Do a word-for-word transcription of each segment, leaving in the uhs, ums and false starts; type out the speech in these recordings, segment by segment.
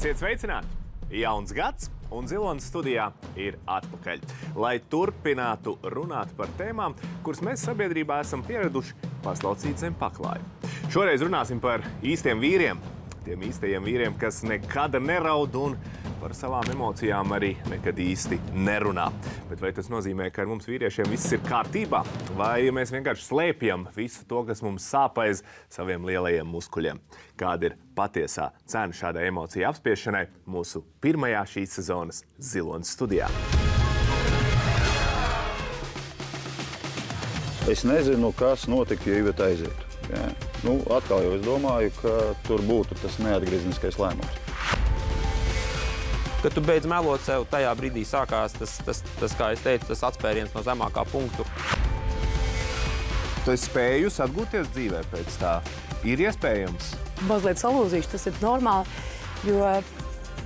Esiet sveicināti! Jauns gads, un Zilonis studijā ir atpakaļ, lai turpinātu runāt par tēmām, kuras mēs sabiedrībā esam pieraduši paslaucīt zem paklāja. Šoreiz runāsim par īstiem vīriem, tiem īstajiem vīriem, kas nekad neraud un par savām emocijām arī nekad īsti nerunā. Bet vai tas nozīmē, ka ar mums vīriešiem viss ir kārtībā? Vai mēs vienkārši slēpjam visu to, kas mums sāp aiz saviem lielajiem muskuļiem? Kāda ir patiesā cena šādai emociju apspiešanai mūsu pirmajā šīs sezonas Zilonis studijā? Es nezinu, kas notika, ja Iveta aizietu. Ja? Nu, atkal jau es domāju, ka tur būtu tas neatgriezniskais lēmums. Kad tu beidz melot sev, tajā brīdī sākās tas, tas, tas, kā es teicu, tas atspēriens no zemākā punktu. Tu esi spējus atgūties dzīvē pēc tā? Ir iespējams? Mazliet salūzīšu, tas ir normāli, jo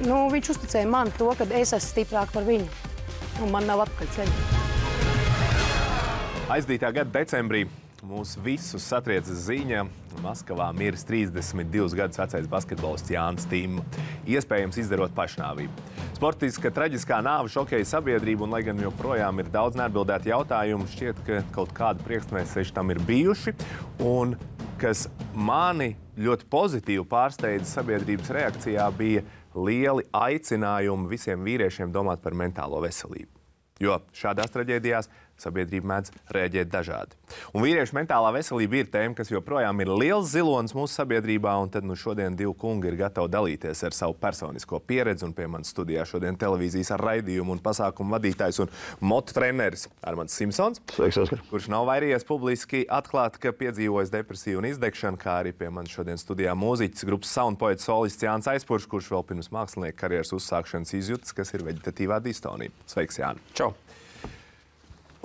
nu, viņš uzticēja man to, ka es esmu stiprāk par viņu, un man nav atpakaļ ceļa. Aizdītā gada decembrī mūs visus satrieca ziņa. Maskavā miris trīsdesmit divus gadus vecais basketbolists Jānis Timma, iespējams izdarot pašnāvību. Sportiska traģiskā nāve šokēja sabiedrību, un lai gan joprojām ir daudz neatbildētu jautājumu, šķiet, ka kaut kāda priekšmēseši tam ir bijuši, un kas mani ļoti pozitīvi pārsteidza sabiedrības reakcijā, bija lieli aicinājumi visiem vīriešiem domāt par mentālo veselību. Jo šādās traģēdijās sabiedrība mēdz rēģēt dažādi. Un vīriešu mentālā veselība ir tēma, kas joprojām ir liels zilonis mūsu sabiedrībā, un tad nu šodien divi kungi ir gatavi dalīties ar savu personisko pieredzi, un pie manas studijā šodien televīzijas ar raidījumu un pasākumu vadītājs un motu treneris Armands Simpsons, Sveiks, Oskar. Kurš nav vairījies publiski atklāt, ka piedzīvojis depresiju un izdegšanu, kā arī pie manas šodien studijā mūziķis grupas Sound poets solists Jānis Aizpuršs, kurš vēl pirms mākslinieka karjeras uzsākšanas izjūtas, kas ir veģetatīvā distonija. Sveiks, Jāni! Čau!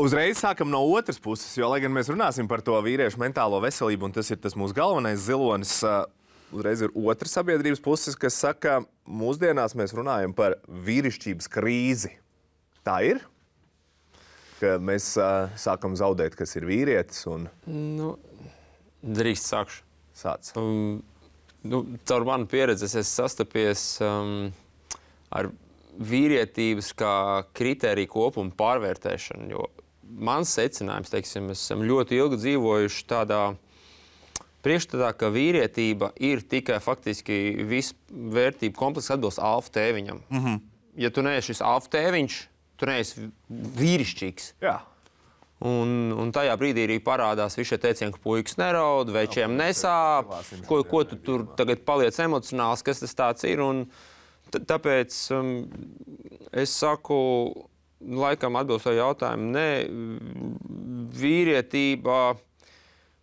Uzreiz sākam no otras puses, jo, lai gan mēs runāsim par to vīriešu mentālo veselību, un tas ir tas mūsu galvenais zilonis, uzreiz ir otra sabiedrības puses, kas saka, mūsdienās mēs runājam par vīrišķības krīzi. Tā ir? Ka mēs uh, sākam zaudēt, kas ir vīrietis, un... Nu, drīkst sākšu. Sāc. Um, nu, caur manu pieredzi es esmu sastapies um, ar vīrietības kā kritēriju kopumu pārvērtēšanu, jo mans secinājums, teiksim, mēs esam ļoti ilgi dzīvojuši tādā priekšstatā, ka vīrietība ir tikai faktiski visu vērtību komplekss atbilst alfa tēviņam. Mm-hmm. Ja tu neesi šis alfa tēviņš, tu neesi vīrišķīgs. Jā. Un, un tajā brīdī arī parādās visi šie teicieni, ka puikas neraud, večiem nesāp, ko, ko tu tur tagad paliec emocionāls, kas tas tāds ir. Un t- tāpēc um, es saku, laikam atbilstoši jautājumu, ne, vīrietība,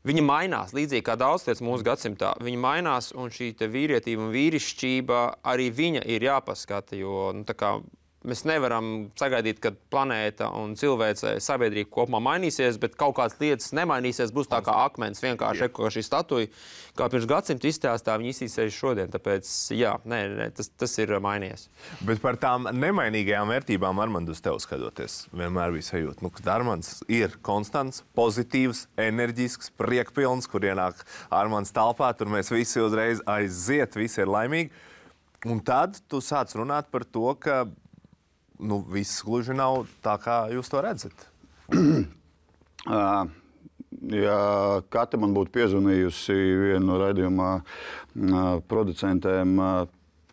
viņa mainās, līdzīgi kā daudz lietas mūsu gadsimtā. Viņa mainās, un šī te vīrietība un vīrišķība arī viņa ir jāpaskata, jo, nu, tā kā mēs nevaram sagaidīt, ka planēta un cilvēce sabiedrība kopumā mainīsies, bet kaut kādas lietas nemainīsies, būs tā kā akmens, vienkārši kā šī statuja, kā pirms gadsimta izstāstā, viņi izsīsies šodien, tāpēc, jā, nē, nē, tas, tas ir mainījies. Bet par tām nemainīgajām vērtībām, Armand, uz tev skatoties, vienmēr bija sajūta, nu, ka Armands ir konstants, pozitīvs, enerģisks, priekpilns, kur ienāk Armands talpā, tur mēs visi uzreiz aiziet, visi ir laimīgi. Un tad tu sāc runāt par to, ka nu, viss gluži nav tā, kā jūs to redzat. uh, ja Kata man būtu piezvanījusi vienu no raidījumā uh, producentēm uh,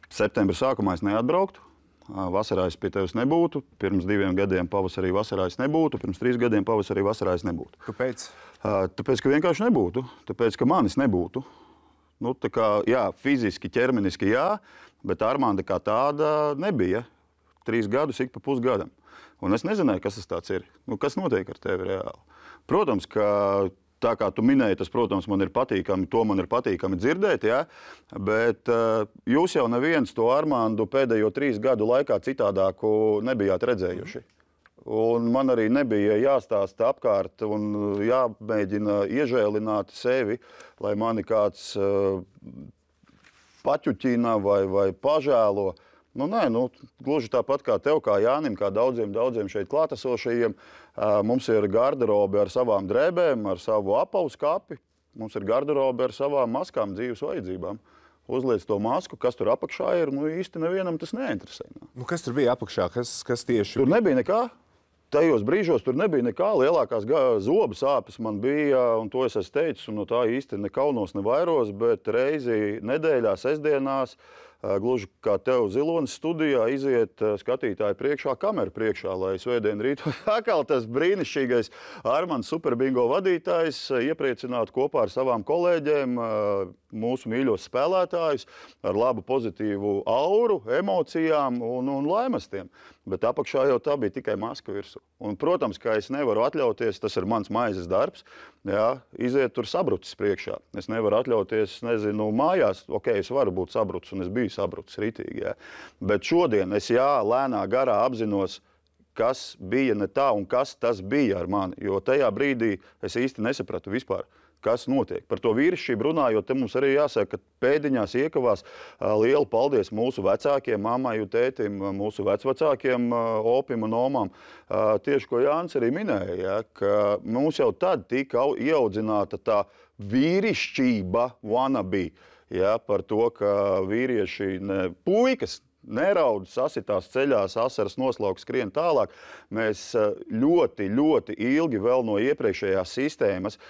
septembra sākumā, es neatbrauktu. Uh, vasarā es pie tevis nebūtu. Pirms diviem gadiem pavasarī vasarā es nebūtu. Pirms trīs gadiem pavasarī vasarā es nebūtu. Kāpēc? Uh, tāpēc, ka vienkārši nebūtu. Tāpēc, ka manis nebūtu. Nu, tā kā, jā, fiziski, ķermeniski jā, bet Armanda kā tāda nebija. Trīs gadus ik pa pusgadam. Un es nezināju, kas tas tāds ir. Nu, kas notiek ar tevi reāli? Protams, ka tā kā tu minēji, tas, protams, man ir patīkami, to man ir patīkami dzirdēt, ja? Bet uh, jūs jau neviens to Armandu pēdējo trīs gadu laikā citādāku nebijāt redzējuši. Un man arī nebija jāstāsta apkārt un jāmēģina iežēlināt sevi, lai mani kāds uh, paķuķina vai, vai pažēlo. Nu, nē, nu, gluži tāpat kā tev, kā Jānim, kā daudziem, daudziem šeit klātesošajiem, mums ir garderobe ar savām drēbēm, ar savu apavu skapi, mums ir garderobe ar savām maskām, dzīves vajadzībām. uzliec to masku, kas tur apakšā ir, nu īsti nevienam tas neinteresē. Nu, kas tur bija apakšā? Kas, kas tieši? Tur nebija nekā. Tajos brīžos tur nebija nekā. Lielākās zobu sāpes man bija, un to es esmu teicis, un no tā īsti ne kaunos, ne vairos, bet reizi nedēļā, sestdienās, gluži kā tev Zilonis studijā, iziet skatītāji priekšā, kameru priekšā, lai svētdien rītu atkal tas brīnišķīgais Armands Superbingo vadītājs iepriecinātu kopā ar savām kolēģiem mūsu mīļos spēlētājus ar labu pozitīvu auru, emocijām un, un laimastiem. Bet apakšā jau tā bija tikai maska virsū. Un, protams, ka es nevaru atļauties, tas ir mans maizes darbs, jā, iziet tur sabrucis priekšā. Es nevaru atļauties, nezinu, mājās, ok, es varu būt sabrucis, un es biju sabrucis ritīgi, jā. Bet šodien es, jā, lēnā garā apzinos, kas bija ne tā un kas tas bija ar mani, jo tajā brīdī es īsti nesapratu vispār, kas notiek. Par to vīrišķību runājot, te mums arī jāsaka, ka pēdiņās iekavās lielu paldies mūsu vecākiem, mammai un tētim, mūsu vecvecākiem, opim un omām. Tieši, ko Jānis arī minēja, ja, ka mums jau tad tika ieaudzināta tā vīrišķība wannabe, ja, par to, ka vīrieši, ne, puikas, neraud, sasitās ceļās, asaras noslauka, skrien tālāk. Mēs ļoti, ļoti ilgi vēl no iepriekšējās sistēmas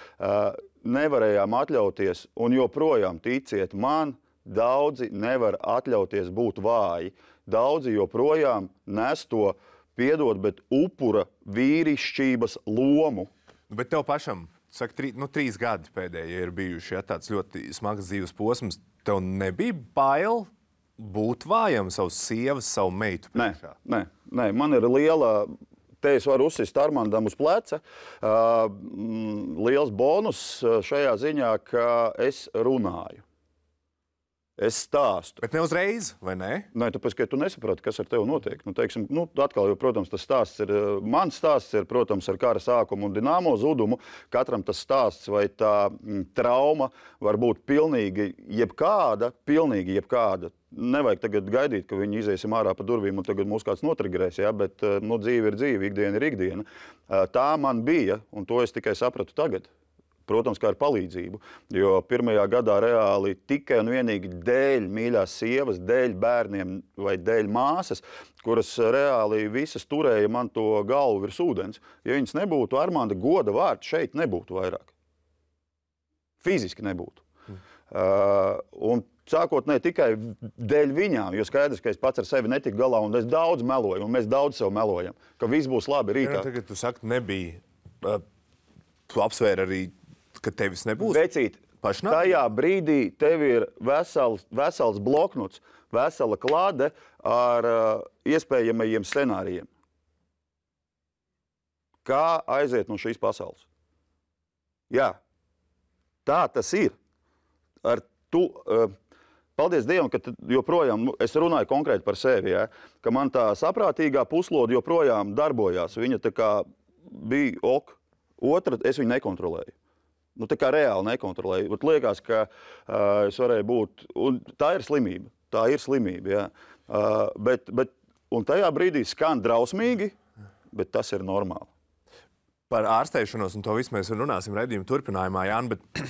nevarējām atļauties, un joprojām, ticiet man, daudzi nevar atļauties būt vāji. Daudzi joprojām nes to, piedod, bet upura vīrišķības lomu. Bet tev pašam, saka, trī, nu, trīs gadi pēdējie ir bijuši, ja, tāds ļoti smags dzīves posms. Tev nebija bail būt vājam savas sievas, savu meitu priekšā? Nē, nē, nē, man ir liela, te es varu uzsist Armandam uz pleca, uh, liels bonus šajā ziņā, ka es runāju. Es stāstu. Bet ne uzreiz, vai ne? Nē, tāpēc, ka tu nesaproti, kas ar tevi notiek. Nu, teiksim, nu, atkal, jo, protams, tas stāsts ir, mans stāsts ir, protams, ar kara sākumu un Dinamo zudumu. Katram tas stāsts vai tā m, trauma var būt pilnīgi jebkāda, pilnīgi jebkāda. Nevajag tagad gaidīt, ka viņi iziesim ārā pa durvīm un tagad mūs kāds notrigerēs, ja? Bet nu, dzīve ir dzīve, ikdiena ir ikdiena. Tā man bija, un to es tikai sapratu tagad. Protams, kā ar palīdzību, jo pirmajā gadā reāli tikai un vienīgi dēļ mīļās sievas, dēļ bērniem vai dēļ māsas, kuras reāli visas turēja man to galvu virs ūdens. Ja viņas nebūtu, Armanda goda vārds šeit nebūtu vairāk. Fiziski nebūtu. Mm. Uh, un sākot ne tikai dēļ viņām, jo skaidrs, ka es pats ar sevi netiku galā, un es daudz meloju, un mēs daudz sev melojam, ka viss būs labi rītā. Ja, tagad tu saki, nebija. Uh, tu apsvēri arī, ka tevis nebūs? Vecīt, tajā brīdī tev ir vesels, vesels bloknots, vesela klāde ar uh, iespējamajiem scenārijiem. Kā aiziet no šīs pasaules? Jā, tā tas ir. Ar tu, uh, paldies Dievam, ka joprojām, es runāju konkrēti par sevi, ja, ka man tā saprātīgā puslode joprojām darbojās. Viņa tā kā bija ok. Otra, es viņu nekontrolēju. Nu, tā kā reāli nekontrolēju. Bet liekas, ka uh, es varēju būt, un tā ir slimība, tā ir slimība, jā. Uh, bet, bet, un tajā brīdī skan drausmīgi, bet tas ir normāli. Par ārstēšanos, un to visu mēs runāsim redzījuma turpinājumā, Jāni, bet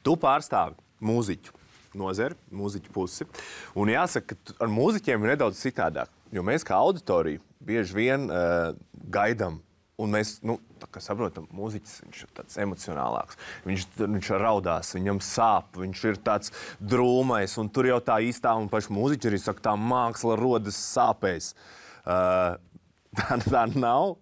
tu pārstāvi mūziķu nozari, mūziķu pusi, un jāsaka, ka ar mūziķiem ir nedaudz citādāk, jo mēs kā auditorija bieži vien uh, gaidam. Un mēs, nu, tā kā saprotam, mūziķis, viņš ir tāds emocionālāks. Viņš, viņš raudās, viņam sāp, viņš ir tāds drūmais, un tur jau tā īstā, un paši mūziķi arī saka, tā māksla rodas sāpēs. Uh, tā, tā nav.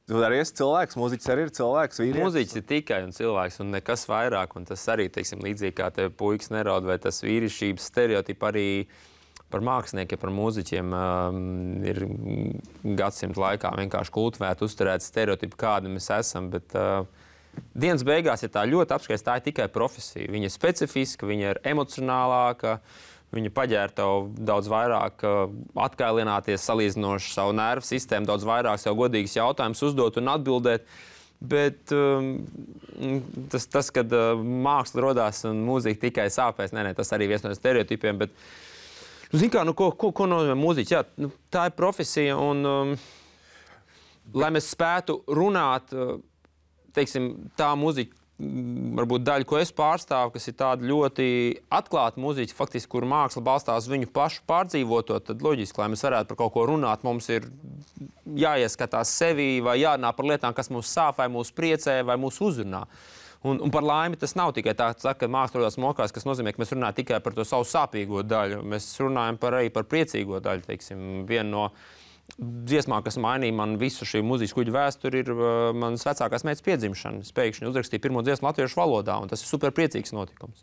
Tu arī esi cilvēks, mūziķis arī ir cilvēks, vīrietis. Mūziķis ir tikai un cilvēks, un nekas vairāk, un tas arī, teiksim, līdzīgi kā tev puikas neraud, vai tas vīrišķības stereotipi arī par māksliniekiem, par mūziķiem um, ir gadsimtu laikā vienkārši kultivēti, uzturēti stereotipi, kādi mēs esam, bet uh, dienas beigās, ja tā ļoti apskaist, tā ir tikai profesija. Viņa ir specifiska, viņa ir emocionālāka, viņa paģēra tev daudz vairāk uh, atkailināties, salīdzinoši savu nervu sistēmu, daudz vairāk sev godīgas jautājumus uzdot un atbildēt. Bet um, tas, tas, kad uh, māksla rodās un mūzika tikai sāpēs, nē, nē, tas arī viens no stereotipiem, bet Zini kā, nu, ko, ko, ko nozīmē mūziķis? Jā, nu, tā ir profesija, un, um, lai mēs spētu runāt, teiksim, tā mūzika, varbūt daļa, ko es pārstāvu, kas ir tāda ļoti atklāta mūziķa, faktiski, kur māksla balstās viņu pašu pārdzīvoto, tad loģiski, lai mēs varētu par kaut ko runāt, mums ir jāieskatās sevī vai jārunā par lietām, kas mūs sāp, vai mūs priecē, vai mūs uzrunā. Un, un par laimi tas nav tikai tā, ka māksla rodās mokās, kas nozīmē, ka mēs runājam tikai par to savu sāpīgo daļu. Mēs runājam par, arī par priecīgo daļu, teiksim. Viena no dziesmām, kas mainīja man visu šī mūzikas kuģu vēsturi, ir uh, manas vecākās meitas piedzimšana. Es pēkšņi uzrakstīju pirmo dziesmu latviešu valodā, un tas ir super priecīgs notikums.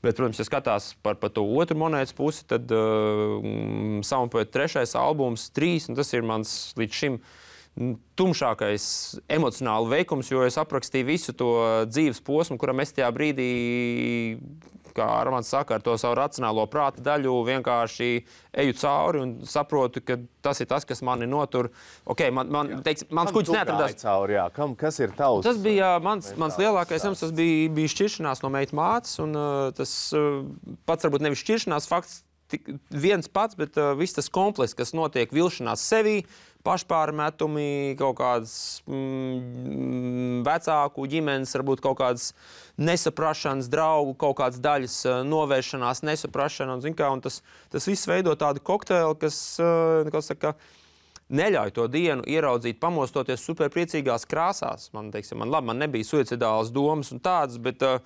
Bet, protams, ja skatās par, par to otru monētas pusi, tad uh, Saunpoeta trešais albums, trīs, un tas ir mans līdz šim tumšākais emocionāli veikums, jo es aprakstīju visu to dzīves posmu, kuram es tajā brīdī, kā Armands saka, ar to savu racionālo prāta daļu vienkārši eju cauri un saprotu, ka tas ir tas, kas mani notur. Ok, man, man teiks, mans kuģis neatradās. Cauri, jā. Kam, kas ir tavs? Tas bija mans, mans lielākais jums, tas bija, bija šķiršanās no meitas mātes, un uh, tas uh, pats varbūt nevis šķiršanās fakts, tik, viens pats, bet uh, viss tas komplekss, kas notiek vilšanās sevī, pašpārmetumi, kaut kādas mm, vecāku ģimenes, varbūt kaut kādas nesaprašanas, draugu, kaut kādas daļas novēršanās, nesaprašana, un, zin kā, un tas, tas viss veido tādu kokteili, kas, kas saka, neļauj to dienu ieraudzīt, pamostoties superpriecīgās krāsās. Man, teiksim, man labi, man nebija suicidālas domas un tādas, bet uh,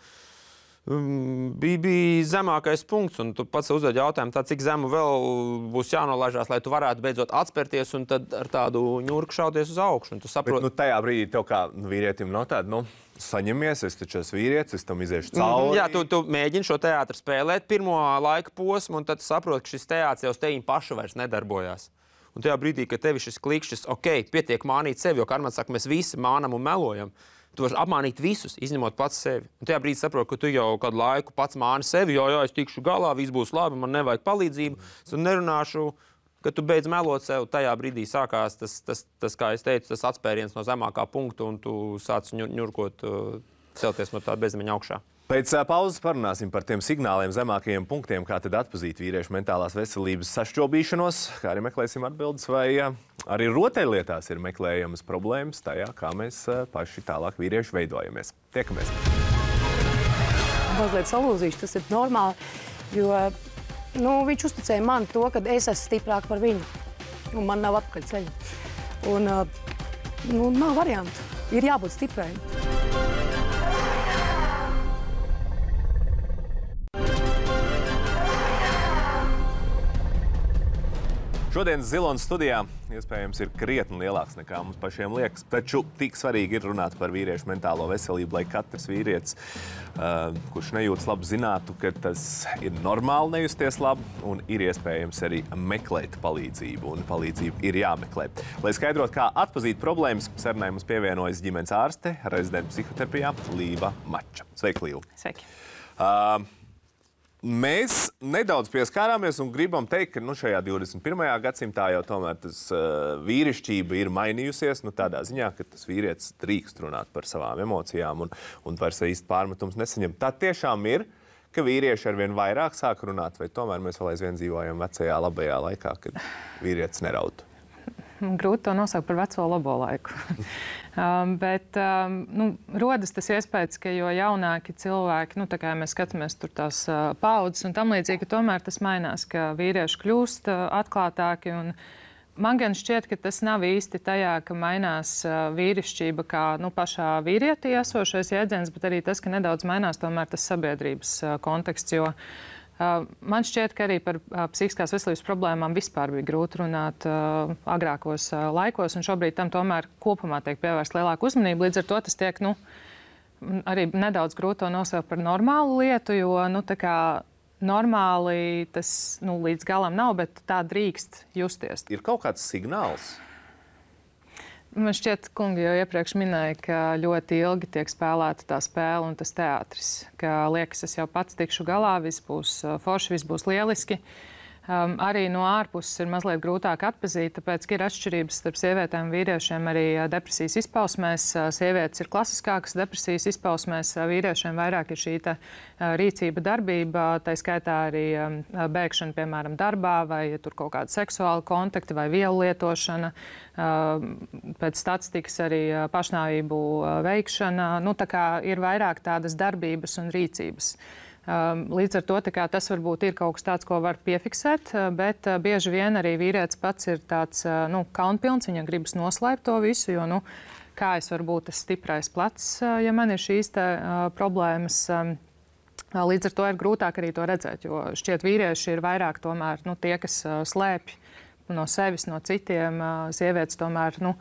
Um, bija, bija zemākais punkts, un tu pats uzdod jautājumu, tā, cik zemu vēl būs jānolaižās, lai tu varētu beidzot atspērties un tad ar tādu ņurku šauties uz augšu. Un tu saproti... Bet, nu, tajā brīdī tev kā vīrietim nav tāda, nu, saņemies, es taču esmu vīrietis, es tam iziešu cauri. Mm, jā, tu, tu mēģini šo teātru spēlēt pirmo laika posmu, un tad tu saproti, ka šis teātrs jau uz teviņu pašu vairs nedarbojās. Un tajā brīdī, kad tevi šis klikšķis, ok, pietiek mānīt sevi, jo, kā Armands saka, mēs visi mānam un melojam. Tu vari apmānīt visus, izņemot pats sevi. Un tajā brīdī saproti, ka tu jau kādu laiku pats māni sevi, jo, jā, es tikšu galā, viss būs labi, man nevajag palīdzību, es nerunāšu, kad tu beidz melot sev. Tajā brīdī sākās tas, tas, tas, kā es teicu, tas atspēriens no zemākā punkta, un tu sāc ņurkot, celties no tā bezmaņa augšā. Pēc pauzes parunāsim par tiem signāliem, zemākajiem punktiem, kā tad atpazīt vīriešu mentālās veselības sašķobīšanos, kā arī meklēsim atbildes, vai arī rotaļlietās ir meklējamas problēmas tajā, kā mēs paši tālāk vīrieši veidojamies. Tiekamies! Mazliet salūzīšu, tas ir normāli, jo nu, viņš uzticēja man to, ka es esmu stiprāk par viņu, un man nav atpakaļ ceļa. Un nu, nav variantu, ir jābūt stiprai. Šodienas Zilonas studijā iespējams ir krietni lielāks nekā mums pašiem liekas, taču tik svarīgi ir runāt par vīriešu mentālo veselību, lai katrs vīrietis, uh, kurš nejūtas labi, zinātu, ka tas ir normāli nejusties labi un ir iespējams arī meklēt palīdzību, un palīdzību ir jāmeklē. Lai skaidrot, kā atpazīt problēmas, sarunai mums pievienojas ģimenes ārste, rezidenta psihoterapijā Līva Mača. Sveiki, Līva! Sveiki! Uh, Mēs nedaudz pieskārāmies un gribam teikt, ka nu, šajā divdesmit pirmajā gadsimtā jau tomēr tas uh, vīrišķība ir mainījusies, nu, tādā ziņā, ka tas vīrietis drīkst runāt par savām emocijām un, un vairs īsti pārmetums nesaņem. Tā tiešām ir, ka vīrieši arvien vairāk sāk runāt, vai tomēr mēs vēl aizvien dzīvojam vecajā labajā laikā, kad vīrietis neraud? Grūti to nosaukt par veco labo laiku. um, bet um, nu, rodas tas iespējas, ka jo jaunāki cilvēki, nu, tā kā mēs skatāmies tur tās uh, paudzes un tam līdzīgi, ka tomēr tas mainās, ka vīrieši kļūst uh, atklātāki. Un man gan šķiet, ka tas nav īsti tajā, ka mainās uh, vīrišķība kā nu, pašā vīrietī esošais jēdziens, bet arī tas, ka nedaudz mainās tomēr tas sabiedrības uh, konteksts, jo Uh, man šķiet, ka arī par uh, psihiskās veselības problēmām vispār bija grūti runāt uh, agrākos uh, laikos, un šobrīd tam tomēr kopumā tiek pievērsta lielāka uzmanība. Līdz ar to tas tiek nu, arī nedaudz grūti to nosaukt par normālu lietu, jo nu, tā kā normāli tas nu, līdz galam nav, bet tā drīkst justies. Ir kaut kāds signāls? Man šķiet, kungi jau iepriekš minēja, ka ļoti ilgi tiek spēlēta tā spēle un tas teātris. Ka liekas, es jau pats tikšu galā, viss būs forši, viss būs lieliski. Um, arī no ārpuses ir mazliet grūtāk atpazīt, tāpēc, ka ir atšķirības starp sievietēm un vīriešiem arī uh, depresijas izpausmēs. Uh, sievietes ir klasiskākas depresijas izpausmēs, uh, vīriešiem vairāk ir šī te, uh, rīcība darbība, tā skaitā arī um, bēgšana, piemēram, darbā, vai ja tur kaut kāda seksuāla kontakta vai vielu lietošana, uh, pēc statistikas arī uh, pašnāvību uh, veikšana. Nu, tā kā ir vairāk tādas darbības un rīcības. Līdz ar to tas varbūt ir kaut kas tāds, ko var piefiksēt, bet bieži vien arī vīrietis pats ir tāds nu, kaunpilns, viņam gribas noslēpt to visu, jo nu, kā es varu būt tas stiprais plecs, ja man ir šīs te, uh, problēmas. Līdz ar to ir grūtāk arī to redzēt, jo šķiet vīrieši ir vairāk tomēr nu, tie, kas uh, slēpj no sevis, no citiem. Uh, sievietes tomēr nu,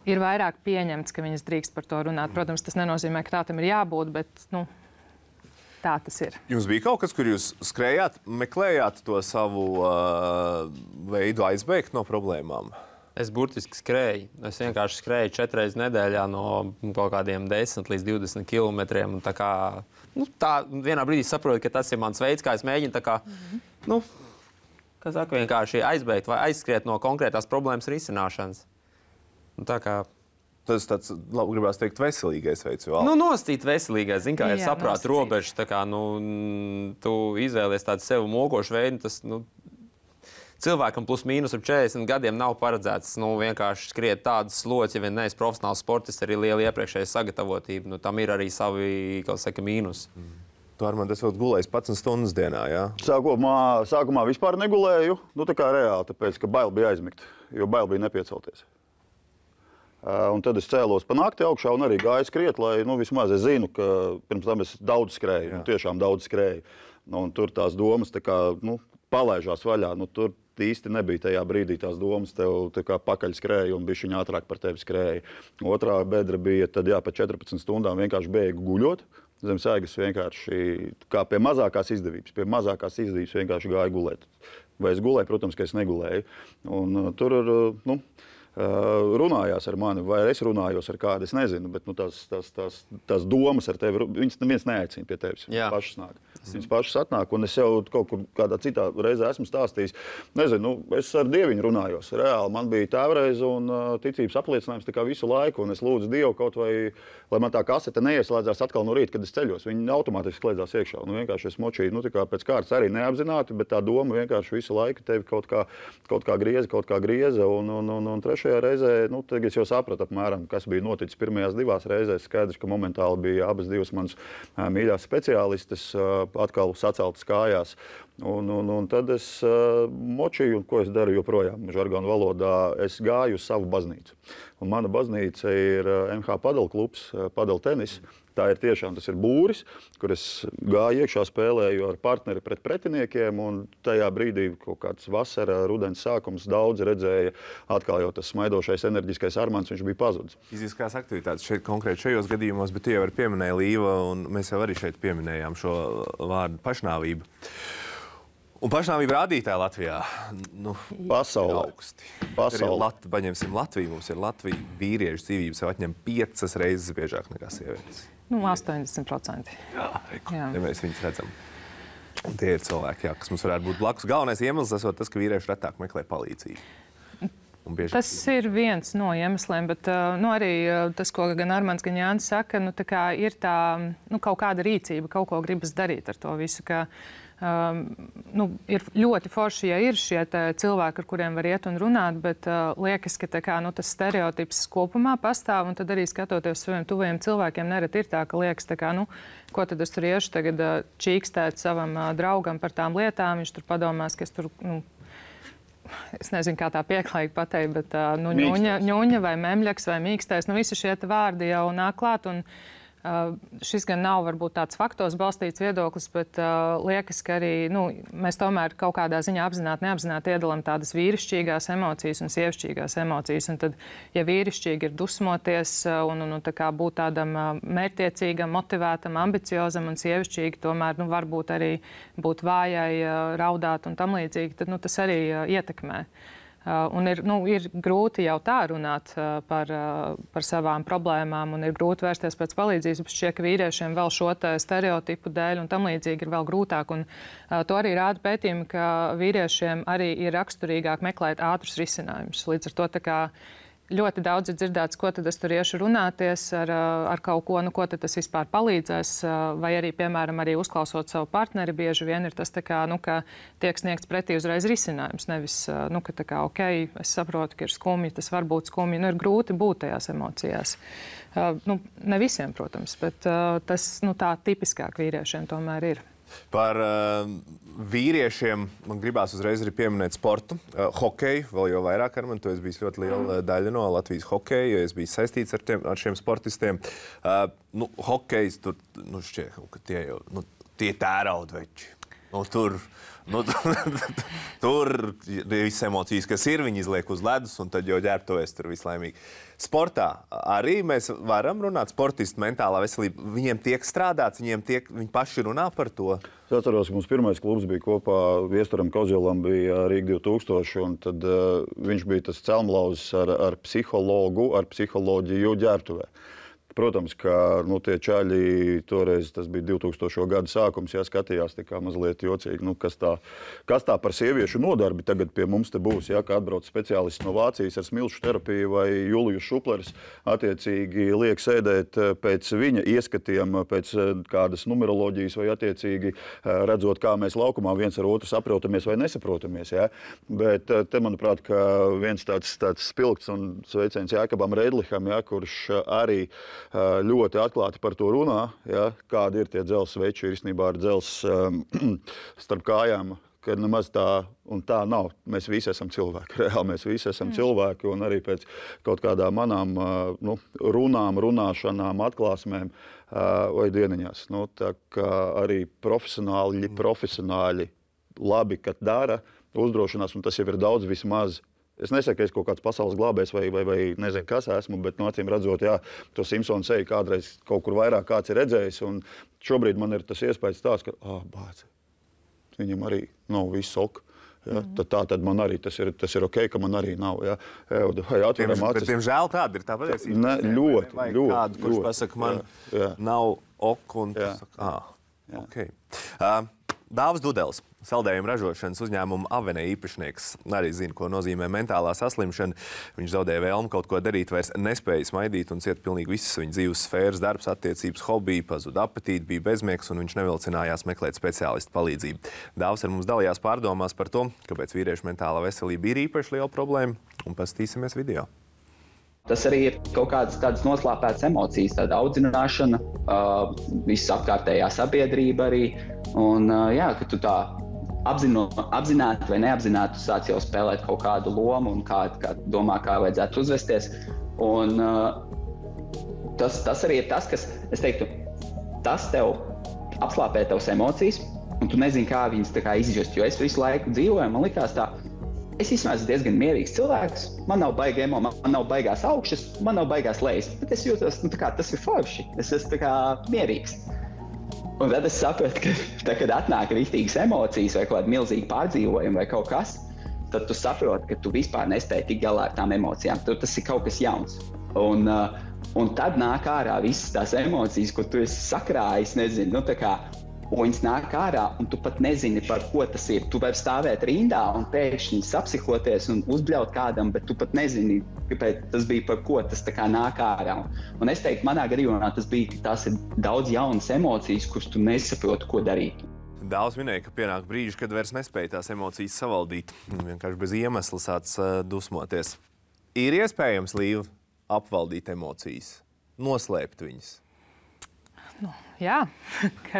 ir vairāk pieņemts, ka viņas drīkst par to runāt. Protams, tas nenozīmē, ka tā tam ir jābūt, bet nu, tā tas ir. Jums bija kaut kas, kur jūs skrējāt, meklējāt to savu uh, veidu aizbēgt no problēmām? Es burtiski skrēju. Es vienkārši skrēju četras reizes nedēļā no kaut kādiem desmit līdz divdesmit kilometriem. Tā kā, nu, tā vienā brīdī saprotu, ka tas ir mans veids, kā es mēģinu tā kā, mm-hmm. nu, kā saka, vienkārši aizbēgt vai aizskriet no konkrētās problēmas risināšanas. Un tā kā tas tāds, labi, gribās teikt, veselīgais veids. Vēl. Nu, nostīt veselīgais, zin kā, ir Jā, saprāt robežas, tā kā, nu, tu izvēlies tādu sev mokošu veidu, tas, nu, cilvēkam plus mīnus ap četrdesmit gadiem nav paredzēts, nu, vienkārši skriet tādas slots, ja vien neesi profesionāls sportists, arī liela iepriekšēja sagatavotība, nu, tam ir arī savi, kā saka, mīnus. Mm. Tu ar mani tas vēl gulējis padsmit stundas dienā, jā? Sākumā, sākumā vispār negulēju, nu, tā kā reāli, tāpēc, ka bail bija aizmigt, jo bail bija nepiecelties. Un tad es cēlos pa nakti augšā un arī gāju skriet, lai nu, vismaz es zinu, ka pirms tam es daudz skrēju, nu, tiešām daudz skrēju. Nu, un tur tās domas tā kā, nu, palaižās vaļā. Nu, tur īsti nebija tajā brīdī tās domas, tev tā kā pakaļ skrēja un bišķiņ ātrāk par tevi skrēja. Otrā bedra bija, tad jā, pa četrpadsmit stundām vienkārši bēgu guļot. Zem sēgas vienkārši kā pie mazākās izdevības. Pie mazākās izdevības vienkārši gāju gulēt. Vai es gulēju? Protams, ka es negulēju. Un tur ir, nu, runājās ar mani, vai es runājos ar kādu, es nezinu, bet nu, tās, tās, tās, tās domas ar tevi, viņas neviens neaicina pie tevis, viņas pašas nāk. Viņas pašas atnāk, un es jau kaut kur kādā citā reizē esmu stāstījis, nezinu, nu, es ar Dieviņu runājos, reāli, man bija tēvreize un uh, ticības apliecinājums tā kā visu laiku, un es lūdzu Dievu kaut vai, lai man tā kasete neieslēdzās atkal no rīta, kad es ceļos, viņi automātiski slēdzās iekšā, un vienkārši es močīju, nu, tā kā pēc kārtas arī neapzināti, bet tā doma vienkārši visu laiku tevi kaut kā, kaut kā grieza, kaut kā grieza, un, un, un, un trešajā reizē, nu, tagad es jau sapratu apmēram, kas bija noticis pirmajās divās reizēs. Skaidrs, ka momentāli bija abas divas manas uh, mīļās speciālistes uh, atkal saceltas kājās. Un, un, un tad es uh, močīju, un ko es daru joprojām, žargonu valodā, es gāju uz savu baznīcu. Un mana baznīca ir uh, M H padel klubs, uh, padel tenis. Tā ir tiešām, tas ir būris, kur es gāju iekšā, spēlēju ar partneri pret pretiniekiem, un tajā brīdī kaut kāds vasara, rudens sākums daudz redzēja atkal jau tas smaidošais, enerģiskais Armands, viņš bija pazudis. Fiziskās aktivitātes šeit konkrēti šajos gadījumos, bet tu jau arī pieminēji Līva, un mēs jau arī šeit pieminējām šo vārdu pašnāvību. Un pašnāvība rādītāja Latvijā, nu, pasaulē. Augsti. Pasaulē. Lat, paņemsim Latviju, mums ir Latvija, vīriešu dzīvības sev atņem piecas reizes biežāk nekā sievietes. Nu, astoņdesmit procenti. Jā, jā. Ja mēs viņus redzam. Un tie ir cilvēki, jā, kas mums varētu būt blakus. Galvenais iemesls esot tas, ka vīrieši retāk meklē palīdzību. Tas ir viens no iemesliem, bet nu, arī tas, ko gan Armands, gan Jānis saka, nu, tā kā ir tā, nu, kaut kāda rīcība, kaut ko gribas darīt ar to visu. Ka, Um, nu, ir ļoti forši, ja ir šie cilvēki, ar kuriem var iet un runāt, bet uh, liekas, ka tā kā, nu, tas stereotips kopumā pastāv, un tad arī skatoties saviem tuvajiem cilvēkiem, nereti ir tā, ka liekas, tā kā, nu, ko tad es tur iešu tagad uh, čīkstēt savam uh, draugam par tām lietām, viņš tur padomās, ka es tur, nu, es nezinu, kā tā pieklājīgi pateikt, bet uh, nu, ņuņa, ņuņa vai memļaks vai mīkstais, nu, visi šie vārdi jau nāk klāt, un Uh, šis gan nav varbūt tāds faktos balstīts viedoklis, bet uh, liekas, ka arī nu, mēs tomēr kaut kādā ziņā apzināti, neapzināti iedalām tādas vīrišķīgās emocijas un sievišķīgās emocijas. Un tad, ja vīrišķīgi ir dusmoties uh, un, un, un tā kā būt tādam uh, mērķtiecīgam, motivētam, ambiciozam, un sievišķīgi tomēr nu, varbūt arī būt vājai, uh, raudāt un tam līdzīgi, tad nu, tas arī uh, ietekmē. Uh, un ir, nu, ir grūti jau tā runāt uh, par, uh, par savām problēmām, un ir grūti vērsties pēc palīdzības, bet šķiet, ka vīriešiem vēl šo stereotipu dēļ un tam līdzīgi ir vēl grūtāk. Un, uh, to arī rāda pētījumi, ka vīriešiem arī ir raksturīgāk meklēt ātrus risinājumus. Līdz ar to tā kā ļoti daudz ir dzirdēts, ko tad es tur iešu runāties ar, ar kaut ko, nu, ko tad tas vispār palīdzēs. Vai arī, piemēram, arī uzklausot savu partneri, bieži vien ir tas, tā kā, nu, ka tiek sniegts pretī uzreiz risinājums. Nevis, nu, ka tā kā, ok, es saprotu, ka ir skumji, tas var būt skumji. Nu, ir grūti būt tajās emocijās. Uh, nu, ne visiem, protams, bet uh, tas nu, tā tipiskāk vīriešiem tomēr ir. Par uh, vīriešiem man gribās uzreiz arī pieminēt sportu. Uh, hokeju vēl jau vairāk ar mani. Tu esi bijis ļoti liela daļa no Latvijas hokeja, jo es biju saistīts ar, tiem, ar šiem sportistiem. Uh, nu, hokejs tur, nu, šķiet, ka tie jau, nu, tie tēraudveči. Nu, tur, nu, tur ir visas emocijas, kas ir, viņi izliek uz ledus, un tad jau ģērbtojas tur vislaimīgi. Sportā arī mēs varam runāt, sportistu mentālā veselība. Viņiem tiek strādāts, viņiem tiek, viņi paši runā par to. Es atceros, ka mums pirmais klubs bija kopā Viesturam Kozielam, bija Rīga divi tūkstoši, un tad uh, viņš bija tas celmlauzis ar, ar psihologu, ar psiholoģiju ģērbtuvē. Protams, ka nu, tie čaļi toreiz, tas bija divtūkstošo gadu sākums, jā, skatījās tā kā mazliet jocīgi, nu, kas, tā, kas tā par sieviešu nodarbi tagad pie mums te būs, jā, kā atbrauc speciālists no Vācijas ar smilšu terapiju vai Julijus Šuplers, attiecīgi liek sēdēt pēc viņa ieskatiem, pēc kādas numeroloģijas vai attiecīgi redzot, kā mēs laukumā viens ar otru saprotamies vai nesaprotamies, jā. Bet te, manuprāt, ka viens tāds, tāds spilgts un sveiciens Jākabam Redliham, jā, kurš arī ļoti atklāti par to runā, ja, kādi ir tie dzelzs sveči, ir īstenībā ar dzelzs um, starp kājām, ka nemaz tā un tā nav. Mēs visi esam cilvēki, reāli mēs visi esam mm. cilvēki, un arī pēc kaut kādām manām uh, nu, runām, runāšanām, atklāsmēm uh, vai dieniņās. Nu, tā kā arī profesionāļi, profesionāļi labi, kad dara, uzdrošinās, un tas jau ir daudz vismaz. Es nesaku, ka es kaut kāds pasaules glābējs vai, vai, vai nezinu, kas esmu, bet no acīm redzot, jā, to Simpsonu seju kādreiz kaut kur vairāk kāds ir redzējis, un šobrīd man ir tas iespējas tāds, ka, ā, bāc, viņam arī nav viss ok. Ja, mm. tad, tā tad man arī tas ir, tas ir ok, ka man arī nav. Ja. Vai atveram acis. Bet, diemžēl tāda ir tā patiesība. Ne, ļoti, vai ļoti. Kādu, kurš ļoti, pasaka, man jā, jā. nav ok, un tu saka, ā, ok. Uh, Dāvis Dudelis, saldējumu ražošanas uzņēmuma Avene īpašnieks, arī zina, ko nozīmē mentālā saslimšana. Viņš zaudēja vēlmi kaut ko darīt, vairs nespēja smaidīt un cieta pilnīgi visas viņa dzīves sfēras, darbs, attiecības, hobiji, pazuda apetīti, bija bezmiegs un viņš nevilcinājās meklēt speciālistu palīdzību. Dāvis ar mums dalījās pārdomās par to, kāpēc vīriešu mentālā veselība ir īpaši liela problēma, un paskatīsimies video. Tas arī ir kaut kādas tādas noslāpētas emocijas, tāda audzināšana, uh, viss apkārtējā sabiedrība arī. Un, uh, jā, ka tu tā apzino, apzināti vai neapzināti sāc jau spēlēt kaut kādu lomu un kā, kā domā, kā vajadzētu uzvesties. Un uh, tas, tas arī ir tas, kas, es teiktu, tas tev apslāpē tavas emocijas, un tu nezini, kā viņas tā kā izjust. Jo es visu laiku dzīvoju, man likās tā, es īstenībā esmu diezgan mierīgs cilvēks, man nav baigi emo, man nav baigās augšas, man nav baigās lejas, bet es jūtos, nu tā kā tas ir forši, es esmu tā kā mierīgs. Un tad es sapratu, ka tā, kad atnāk rīktīgas emocijas vai kaut kāda milzīga pārdzīvojuma vai kaut kas, tad tu saproti, ka tu vispār nespēji tikt galā ar tām emocijām, tur tas ir kaut kas jauns. Un, uh, un tad nāk ārā visas tās emocijas, ko tu esi sakrājis, nezinu, nu tā kā, un viņas nāk ārā, un tu pat nezini, par ko tas ir. Tu vari stāvēt rindā un pēkšņi sapsihoties un uzbļaut kādam, bet tu pat nezini, kāpēc tas bija, par ko tas tā kā nāk ārā. Un es teiktu, manā gadījumā tas bija, ka tās ir daudz jaunas emocijas, kuras tu nesaproti, ko darīt. Dāvis minēja, ka pienāk brīži, kad vairs nespēja tās emocijas savaldīt. Vienkārši bez iemesla sāc uh, dusmoties. Ir iespējams, Līva, apvaldīt emocijas, noslēpt viņas? Nu, jā,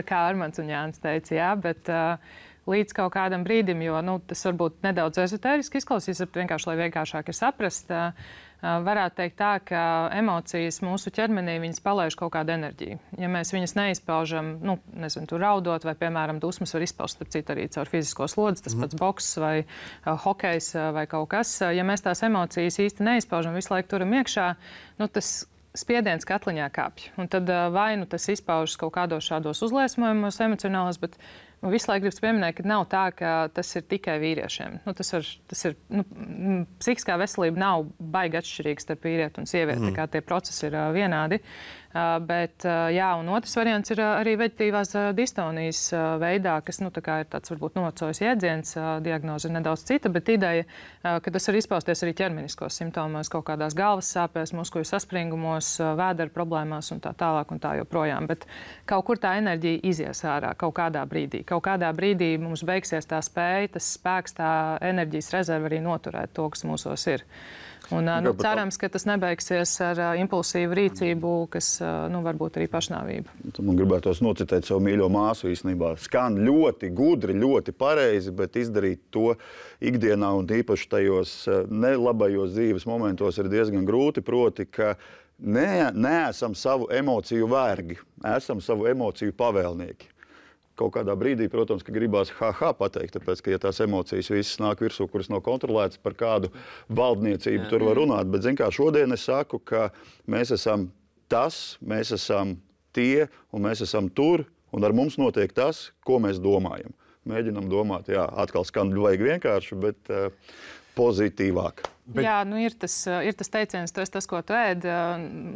kā Armands un Jānis teica, jā, bet uh, līdz kaut kādam brīdim, jo nu, tas varbūt nedaudz ezotēriski izklausīs, bet vienkārši, lai vienkāršāk ir saprast, uh, varētu teikt tā, ka emocijas mūsu ķermenī viņas palaiž kaut kādu enerģiju. Ja mēs viņas neizpaužam, nu, nezinu, tur raudot vai, piemēram, dusmas var izpaust, starp citu, arī caur fizisko slodzi, tas pats boks vai uh, hokejs uh, vai kaut kas. Ja mēs tās emocijas īsti neizpaužam, visu laiku turam iekšā, nu, tas spiediens katliņā kāpj. Un tad vai nu tas izpaužas kaut kādos šādos uzliesmojumos emocionālos, bet visu laiku gribas pieminēt, ka nav tā, ka tas ir tikai vīriešiem. Nu, tas, var, tas ir, nu, psihiskā veselība nav baigi atšķirīga starp vīrieti un sievieti, mm. tā kā tie procesi ir uh, vienādi. Uh, bet, uh, jā, un otrs variants ir uh, arī veģetīvās uh, distonijas uh, veidā, kas, nu, tā kā ir tāds varbūt novecojis jēdziens, uh, diagnoze ir nedaudz cita, bet ideja, uh, ka tas var izpausties arī ķermeniskos simptomos, kaut kādās galvas sāpēs, muskuļu saspringumos, uh, vēdera problēmās un tā tālāk un tā joprojām. Bet kaut kur tā enerģija izies ārā kaut kādā brīdī. Kaut kādā brīdī mums beigsies tā spēja, tas spēks, tā enerģijas rezerve arī noturēt to, kas mūsos ir. Un, nu, cerams, ka tas nebeigsies ar uh, impulsīvu rīcību, kas uh, nu, varbūt arī pašnāvību. Man gribētos nocitēt savu mīļo māsu īstenībā. Skan ļoti gudri, ļoti pareizi, bet izdarīt to ikdienā un īpaši tajos nelabajos dzīves momentos ir diezgan grūti. Proti, ka ne, neesam savu emociju vergi, esam savu emociju pavēlnieki. Kaut kādā brīdī, protams, ka gribās ha-ha pateikt, tāpēc, ka ja tās emocijas visas nāk virsū, kuras nav kontrolētas, par kādu valdniecību Jā. Tur var runāt. Bet, zin kā, šodien es saku, ka mēs esam tas, mēs esam tie un mēs esam tur, un ar mums notiek tas, ko mēs domājam. Mēģinam domāt, jā, atkal skan vajag vienkārši, bet uh, pozitīvāk. Bet... Jā, nu ir tas, ir tas teiciens, tu esi tas, ko tu ēd.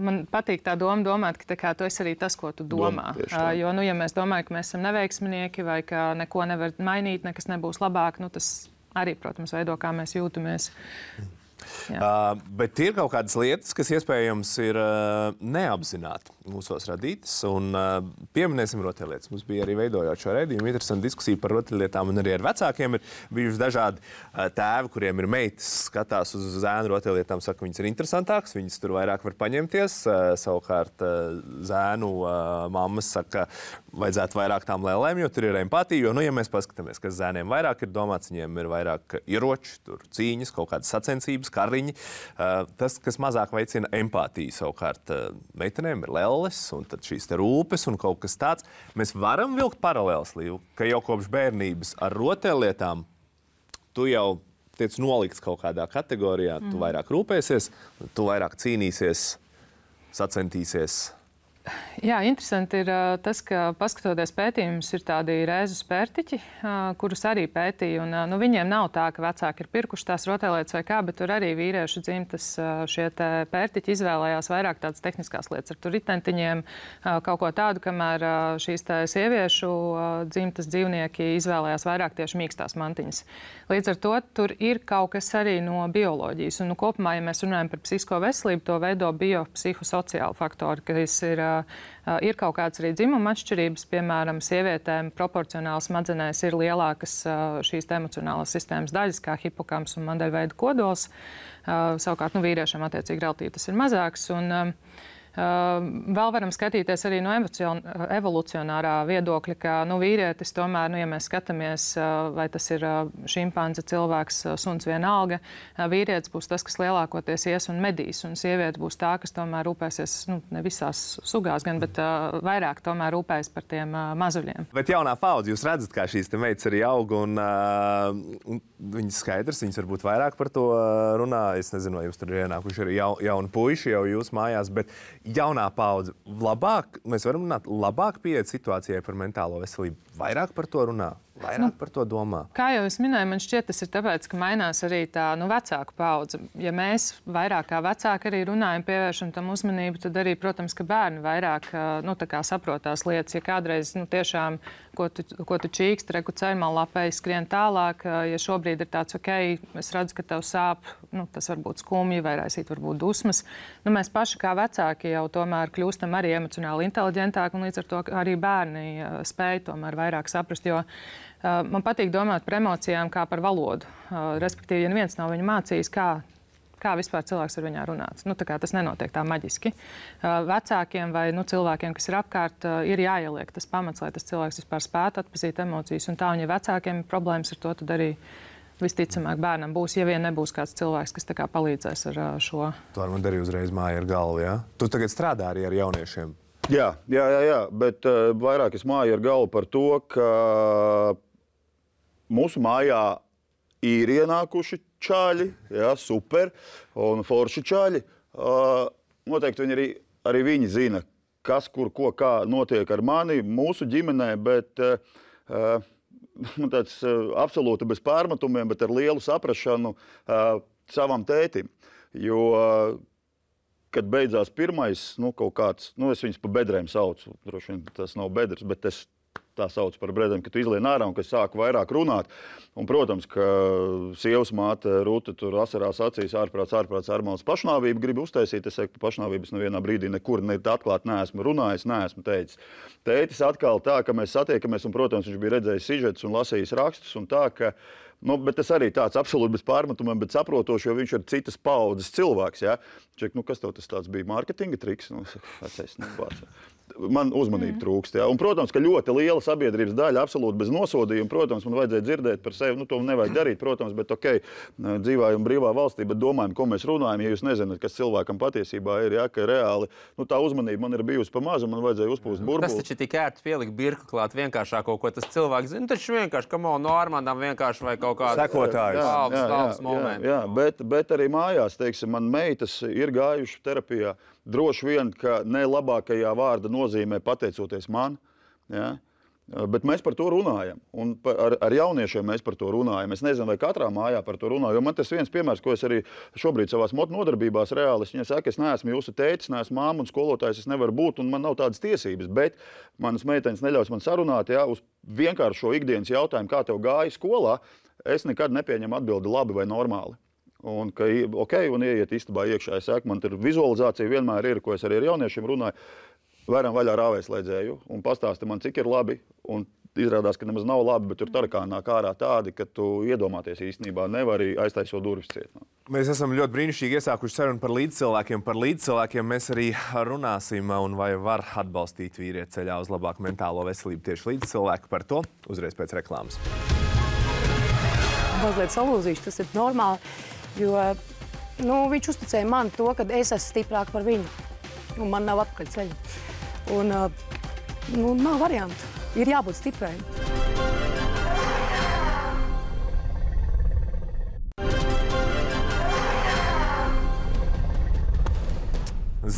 Man patīk tā doma domāt, ka tā kā, tu esi arī tas, ko tu domā. Doma, jo, nu, ja mēs domājam, ka mēs esam neveiksminieki vai ka neko nevar mainīt, nekas nebūs labāk, nu, tas arī, protams, veido, kā mēs jūtamies. Uh, bet ir kaut kādas lietas, kas iespējams ir uh, neapzināti mūsos radītas. Un uh, pieminēsim rotaļlietas. Mums bija arī veidojot šo raidījumu interesanta diskusija par rotaļlietām, un arī ar vecākiem ir bijuši dažādi uh, tēvi, kuriem ir meitas, skatās uz zēnu rotaļlietām, saka, viņas ir interesantākas, viņas tur vairāk var paņemties. Uh, savukārt uh, zēnu uh, mammas saka, vajadzētu vairāk tām lēlēm, jo tur ir empātija. Jo, nu, ja mēs paskatāmies, kas zēniem vairāk ir domāts, viņiem ir vairāk ieroči, tur cīņas, kaut kādas sacensības, kariņi. Uh, tas, kas mazāk veicina empātiju, savukārt uh, meitenēm ir lelles un tad šīs te rūpes un kaut kas tāds. Mēs varam vilkt paralēles, Līva, ka jau kopš bērnības ar rotaļlietām tu jau tiec nolikts kaut kādā kategorijā, mm. tu vairāk rūpēsies, tu vairāk cīnīsies, sacentīsies. Jā, interesanti ir uh, tas, ka paskatoties pētījumus, ir tādi rēzu spērtiķi, uh, kurus arī pētīja. Un, uh, nu, viņiem nav tā, ka vecāki ir pirkuši tās rotaļlietas vai kā, bet tur arī vīriešu dzimtas uh, šie pērtiķi izvēlējās vairāk tādas tehniskās lietas ar tur ritentiņiem, uh, kaut ko tādu, kamēr uh, šīs tā sieviešu uh, dzimtas dzīvnieki izvēlējās vairāk tieši mīkstās mantiņas. Līdz ar to tur ir kaut kas arī no bioloģijas. Un, nu, kopumā, ja mēs runājam par psihisko veselību, to veido biopsihosociāli faktori, kas ir Uh, ir kaut kādas arī dzimuma atšķirības, piemēram, sievietēm proporcionāli smadzenēs ir lielākas uh, šīs emocionālās sistēmas daļas, kā hipokamps un mandeļveida kodols. Uh, savukārt, nu, vīriešiem attiecīgi relatīvi tas ir mazāks. Un, um, Uh, vēl varam skatīties arī no evolucionārā viedokļa, ka nu, vīrietis tomēr, nu, ja mēs skatāmies, uh, vai tas ir uh, šimpanze, cilvēks, uh, suns vienalga, uh, vīrietis būs tas, kas lielākoties ies un medīs, un sieviete būs tā, kas tomēr rūpēsies, nu, ne visās sugās gan, bet uh, vairāk tomēr rūpējas par tiem uh, mazuļiem. Bet jaunā paudze, jūs redzat, kā šīs te meitas arī aug, un, uh, un viņas skaidrs, viņas varbūt vairāk par to runā. Es nezinu, vai jums tur ir ienākuši arī jau, jauni puiši jau jūs mājās, bet jaunā paudze labāk, mēs varam runāt, labāk pieiet situācijai par mentālo veselību, vairāk par to runā, vairāk nu, par to domā. Kā jau es minēju, man šķiet, tas ir tāpēc, ka mainās arī tā nu, vecāku paudze. Ja mēs vairāk kā vecāki arī runājam, pievēršam tam uzmanību, tad arī, protams, ka bērni vairāk nu, tā kā saprotās lietas. Ja kādreiz nu, tiešām, ko tu, ko tu čīkst, reku ceļmalapēji skrien tālāk, ja šobrīd ir tāds, ok, es redzu, ka tev sāp, nu, tas var būt skumji vai raisīt varbūt dusmas. Nu, mēs paši kā vecāki jau tomēr kļūstam arī emocionāli inteliģentāki, un līdz ar to arī bērni spēj tomēr vairāk saprast, jo uh, man patīk domāt par emocijām kā par valodu. Uh, respektīvi, ja neviens nav viņu mācījis, kā, kā vispār cilvēks ar viņā runāt. Nu, tā kā tas nenotiek tā maģiski. Uh, vecākiem vai nu, cilvēkiem, kas ir apkārt, uh, ir jāieliek tas pamats, lai tas cilvēks vispār spētu atpazīt emocijas. Un tā, un ja vecākiem ir problēmas ar to, tad arī visticamāk bērnam būs, ja vien nebūs kāds cilvēks, kas tā kā palīdzēs ar uh, šo. Tu ar man darīji uzreiz māju ar galvu, jā? Tu tagad strādā arī ar jauniešiem. Jā, jā, jā, jā, bet uh, vairāk es māju ar galvu par to, ka mūsu mājā ir ienākuši čaļi, jā, super, un forši čaļi. Uh, noteikti viņi arī, arī viņi zina, kas, kur, ko, kā notiek ar mani, mūsu ģimenē, bet uh, nu, tāds uh, absolūti bez pārmetumiem, bet ar lielu saprašanu uh, savam tētim. Jo, uh, kad beidzās pirmais, nu, kaut kāds, nu, es viņus pa bedrēm saucu, droši vien tas nav bedres, bet es tā sauc par bedrēm, ka tu izlien ārā un ka es sāku vairāk runāt. Un, protams, ka sievas māte Rūta tur asarās acīs ārprāts, ārprāts, ārmāls pašnāvību grib uztaisīt. Es saku, ka pašnāvības nevienā brīdī nekur ne atklāt neesmu runājis, neesmu teicis. Tētis atkal tā, ka mēs satiekamies, un, protams, viņš bija redzējis sižetus un lasījis rakstus, un tā, ka Nu, bet tas arī tāds absolūti bez pārmetumiem, bet saprotoši, jo viņš ir citas paudzes cilvēks. Ja? Ček, nu, kas tev tas tāds bija? Mārketinga triks? Nu, vecais, nu, man uzmanība mm. trūkst. Ja? Un, protams, ka ļoti liela sabiedrības daļa absolūti bez nosodījuma. Protams, man vajadzēja dzirdēt par sevi. Nu, to nevajag darīt, protams, bet ok, dzīvājam brīvā valstī, bet domājam, ko mēs runājam. Ja jūs nezināt, kas cilvēkam patiesībā ir, ja? Ka reāli nu, tā uzmanība man ir bijusi pa mazu, man vajadzēja uzpūst burbuli. Tas taču tik ērti pielikt birku klāt vienkāršāko, ko tas cilvēks zina. Taču vienkārši, kam no Armandam vienkārši vai kaut kāds sekotājs. Tāls, tāls moments. Jā, jā, bet, bet arī mājās, teiksim, man meitas ir gājuši terapijā. Droši vien, ka ne labākajā vārda nozīmē pateicoties man. Ja? Bet mēs par to runājam. Un ar, ar jauniešiem mēs par to runājam. Es nezinu, vai katrā mājā par to runāju. Jo man tas viens piemērs, ko es arī šobrīd savās nodarbībās reāli, es saku, es neesmu jūsu tētis, neesmu māma un skolotājs, es nevaru būt un man nav tādas tiesības. Bet manas meitenes neļaus man sarunāt, ja, uz vienkāršo ikdienas jautājumu, kā tev gāja skolā, es nekad nepieņemu atbildi labi vai normāli. Un, ka, ok, un ieiet istabā iekšā, es saku, man tur vizualizācija vienmēr ir, ko es arī ar jauniešiem runāju, varam vaļā rāvēslēdzēju un pastāsti man, cik ir labi, un izrādās, ka nemaz nav labi, bet tur tarakāni nāk ārā tādi, ka tu iedomāties īstenībā nevari aiztaisot durvis ciet. Mēs esam ļoti brīnišķīgi iesākuši sarunu par līdzcilvēkiem. Par līdzcilvēkiem mēs arī runāsim, un vai var atbalstīt vīrieti ceļā uz labāku mentālo veselību tieši līdzcilvēki. Par to uzreiz pēc reklāmas. Mazliet salūzīšu, tas ir normāli, jo nu, viņš uzticēja man to, ka es esmu stiprāk par viņu, un man nav atpakaļ ceļa. Un nu, nav variantu, ir jābūt stiprai.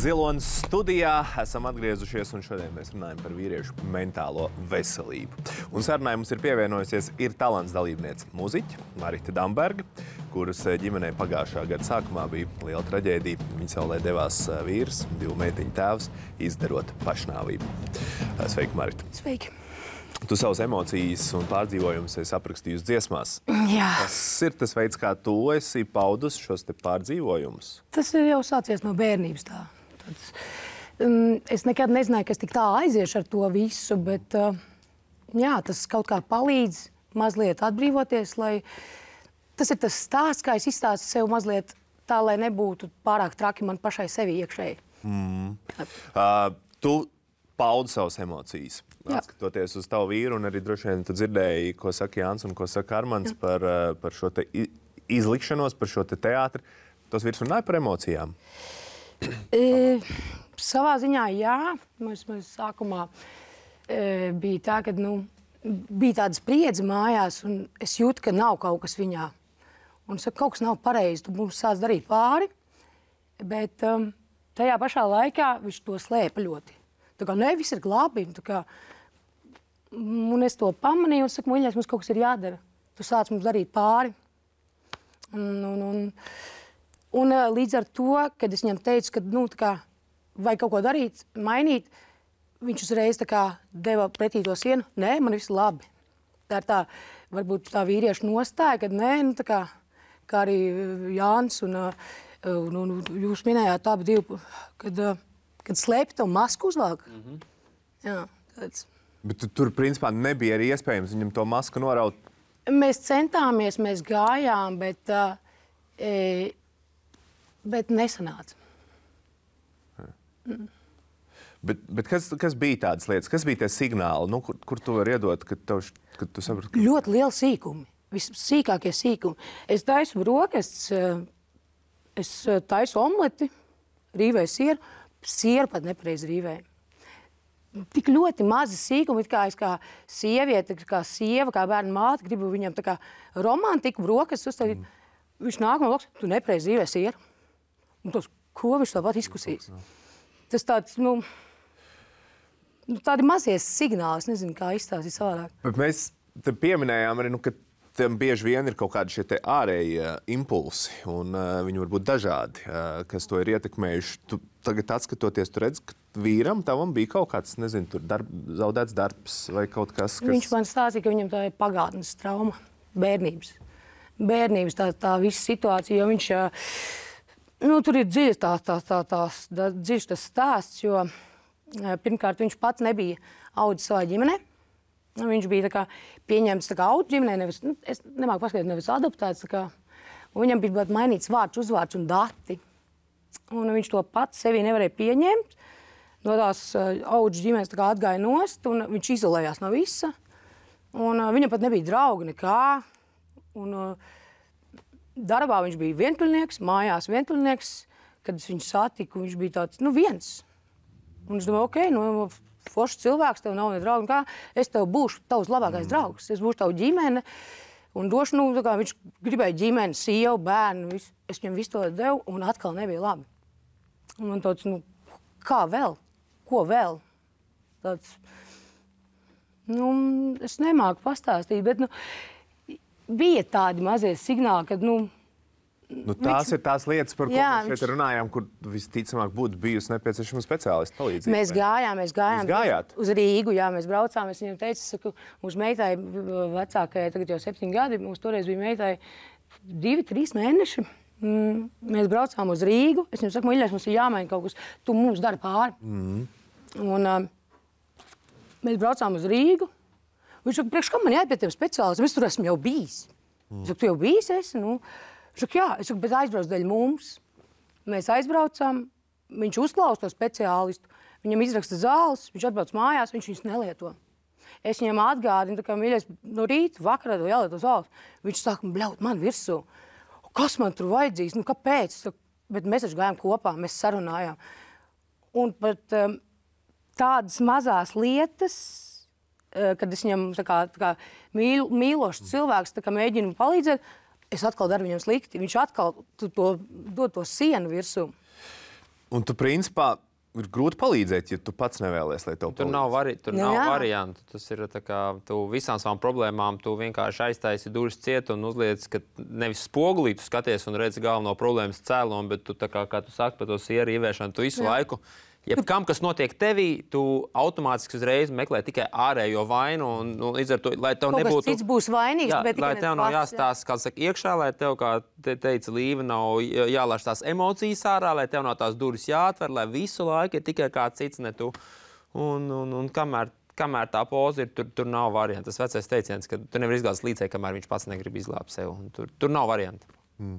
Zilonis studijā esam atgriezušies, un šodien mēs runājam par vīriešu mentālo veselību. Un sarunai mums ir pievienojusies ir talants dalībniece muziķe Marita Damberga, kuras ģimenē pagājušā gada sākumā bija liela traģēdija. Viņa saulē devās vīrs, divu meitiņu tēvs, izdarot pašnāvību. Sveiki, Marita! Sveiki! Tu savas emocijas un pārdzīvojumus esi aprakstījusi dziesmās. Jā. Tas ir tas veids, kā tu esi paudus šos te pārdzīvojumus? Tas ir jau sācies no bērnības tā. Tāds, um, es nekad nezināju, ka es tik tā aiziešu ar to visu, bet uh, jā, tas kaut kā palīdz mazliet atbrīvoties, lai tas ir tas stāsts, kā es izstāstu sev mazliet tā, lai nebūtu pārāk traki man pašai sevi iekšēji. Mm. Uh, tu paudi savas emocijas. Atskatoties uz tavu vīru, un arī droši vien tu dzirdēji, ko saka Jānis un ko saka Armands par, par šo te izlikšanos, par šo te teātri. Tos vīrs runāja par emocijām? E, savā ziņā jā. Mēs, mēs sākumā e, bija tā, ka nu, bija tāda spriedze mājās, un es jūtu, ka nav kaut kas viņā. Un es saku, kaut kas nav pareizi, tu mums sāc darīt pāri, bet um, tajā pašā laikā viņš to slēpa ļoti. Tā kā, ne, viss ir labi. Tā kā, un es to pamanīju un saku, muļļais, mums kaut kas ir jādara. Tu sāc mums darīt pāri. Un, un, un, un līdz ar to, kad es viņam teicu, ka, nu, tā kā, vai kaut ko darīt, mainīt, viņš uzreiz tā kā deva pretī to sienu. Nē, man viss labi. Tā ir tā, varbūt tā vīrieša nostāja, kad nē, nu, tā kā, kā arī Jānis un, un, un jūs minējāt abi divi, kad, kad slēpj to masku uzvelk. Mm-hmm. Jā, tāds. Bet tu, tur, principā, nebija arī iespējams viņam to masku noraut? Mēs centāmies, mēs gājām, bet, e, bet nesanāca. Mm. Bet, bet kas, kas bija tādas lietas? Kas bija tie signāli, nu, kur, kur tu vari iedot, kad, tev, kad tu saprati? Ka... Ļoti lieli sīkumi, vissīkākie sīkumi. Es taisu brokastis, es taisu omleti, rīvēju sieru, sieru pat nepareizi rīvēju. Tik ļoti mazi sīkumi, kā es kā sieviete, kā sieva, kā bērnu māte, gribu viņam tā kā romantiku, brokastis uzstādīt. Mm. Viņš nāk man blakus, tu nepareizi rīvēji sieru. Un tos, ko viņš tāpat izkusīs? Tas tāds, nu, tādi mazie signāli, es nezinu, kā izstāstīt savādāk. Bet mēs te pieminējām arī, nu, ka tam bieži vien ir kaut kādi šie te ārējie impulsi, un uh, viņi var būt dažādi, uh, kas to ir ietekmējuši. Tu tagad atskatoties, tu redz, ka vīram tavam bija kaut kāds, nezinu, tur darb, zaudēts darbs vai kaut kas, kas... Viņš man stāstīja, ka viņam tā ir pagātnes trauma, bērnības. Bērnības tā, tā visa situācija, jo viņš, nu, tur ir dziļs tā, tā, tā, tā, tā, dziļs tas stāsts, jo pirmkārt viņš pats nebija audzis savā ģimenē. Viņš bija tā kā pieņemts tā kā auģu ģimenē, nevis, nu, es nemāku paskaidrot, nevis adoptēts, tā kā, un viņam bija mainīts vārds, uzvārds un dati. Un viņš to pats sevi nevarēja pieņemt. No tās uh, auģu ģimenes tā kā atgāja nost, un viņš izolējās no visa. Un uh, viņam pat nebija draugi nekā. Un uh, darbā viņš bija vientuļnieks, mājās vientuļnieks. Kad es viņu satiku, viņš bija tāds, nu, viens. Un es domāju, ok, nu, foršs cilvēks, tev nav ne draugi, kā es tev būšu tavs labākais mm. draugs, es būšu tavu ģimene, un došu, nu, tā kā viņš gribēja ģimeni, sievu, bērnu, visu. Es viņam visu to devu, un atkal nebija labi. Un man tāds, nu, kā vēl? Ko vēl? Tāds, nu, es nemāku pastāstīt, bet, nu, bija tādi mazie signāli, kad, nu, Nu, tās viņš... ir tās lietas, par ko jā, mēs šeit viņš... runājām, kur visticamāk būtu bijusi nepieciešama speciālista palīdzība. Mēs gājām, mēs gājām gājāt? Uz Rīgu, jā, mēs braucām. Es viņam teicu, saku, mūsu meitai vecākajai, tagad jau septiņi gadi, mums toreiz bija meitai divi, trīs mēneši. Mm, mēs braucām uz Rīgu. Es viņam saku, mīļais, mums ir jāmaina kaut kas, tu mums dari pāri. Mm. Un uh, mēs braucām uz Rīgu. Viņš saka, priekš, kā man jāiet pie tiem speciālistiem? Es tur esmu jau bijis. Mm. Es saku, tu jau bijis esi? Nu, Viņš saka, jā, es saku, bet aizbrauc dēļ mums. Mēs aizbraucām, viņš uzklausa to speciālistu, viņam izraksta zāles, viņš atbrauc mājās, viņš viņus nelieto. Es viņam atgādinu, tā kā mīļais, no rīta, vakarā tev jālieto zāles. Viņš saka, bļaut, man virsū. Kas man tur vajadzīgs? Nu, kāpēc? Saku, bet mēs taču gājām kopā, mēs sarunājām. Un pat um, tādas mazās lietas, uh, kad es viņam tā kā, tā kā mīl, mīlošs cilvēks tā kā mēģinu palīdzēt, es atkal daru viņam slikti. Viņš atkal to, dod to sienu virsū. Un tu, principā, ir grūti palīdzēt, ja tu pats nevēlies, lai tev palīdz. Tur nav, vari, tur nu, nav jā. variantu. Tas ir tā kā, tu visām savām problēmām tu vienkārši aiztaisi durvis ciet un uzliec, ka nevis spogulī tu skaties un redzi galveno problēmas cēlomu, bet tu, tā kā, kā tu saki par to sieru ieviešanu, tu visu jā. laiku, jebkam, kas notiek tevī, tu automātiski uzreiz meklē tikai ārējo vainu, un, un līdz ar to, lai tev Kaut nebūtu... Kaut kas cits būs vainīgs, jā, bet lai tikai tev nav pats, jāstāsta, kā saka, iekšā, lai tev, kā te teica Līva, nav jālaiž tās emocijas ārā, lai tev nav tās durvis jāatver, lai visu laiku ir tikai kāds cits, ne tu. Un, un, un kamēr, kamēr tā poza ir, tur, tur nav variantu. Tas vecais teiciens, ka tu nevar izglābt līdzēji, kamēr viņš pats negrib izglābt sev. Tur, tur nav variantu. Mm.